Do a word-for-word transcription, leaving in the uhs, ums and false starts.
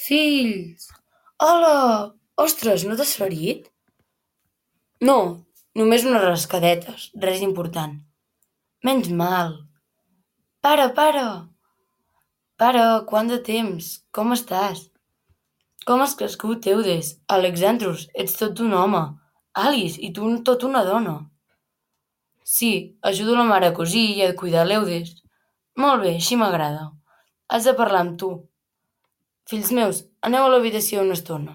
Fills! Hola! Ostres, no t'has ferit? No, només unes rascadetes, res important. Menys mal. Pare, pare! Pare, quant de temps? Com estàs? Com has crescut, Eudes? Alexandros, ets tot un home. Alice, i tu tot una dona. Sí, ajudo la mare a cosir i a cuidar l'Eudes. Molt bé, així m'agrada. Has de parlar amb tu. Fills meus, aneu a l'habitació una estona.